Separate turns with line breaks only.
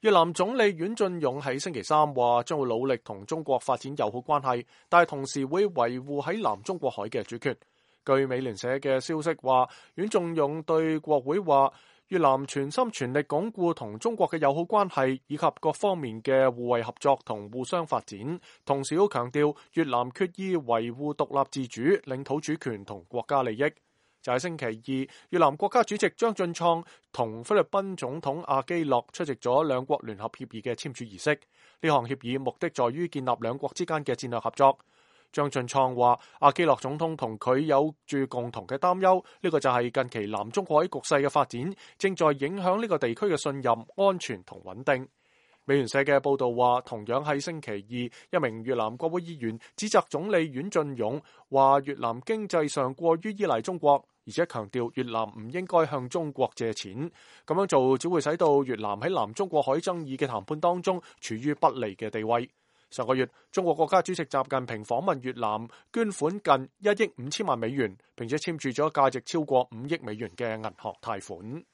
越南總理阮晉勇喺星期三話將會努力同中國發展友好關係，但係同時會維護喺南中國海嘅主權。據美聯社嘅消息話，阮晉勇對國會話，越南全心全力鞏固同中國嘅友好關係，以及各方面嘅互惠合作同互相發展。同時都強調越南決意維護獨立自主、領土主權同國家利益。就喺星期二，越南國家主席張俊創同菲律賓總統阿基諾出席咗兩國聯合協議嘅簽署儀式。呢項協議目的在於建立兩國之間嘅戰略合作。張俊創話，阿基諾總統同佢有住共同嘅擔憂，呢個就係近期南中國海局勢嘅發展正在影響呢個地區嘅信任、安全同穩定。美聯社嘅報道話，同樣喺星期二，一名越南國會議員指責總理阮晉勇話越南經濟上過於依賴中國，而且強調越南唔應該向中國借錢，咁樣做只會使到越南喺南中國海爭議嘅談判當中處於不利嘅地位。上個月，中國國家主席習近平訪問越南，捐款近1億5千萬美元，並且簽署咗價值超過5億美元嘅銀行貸款。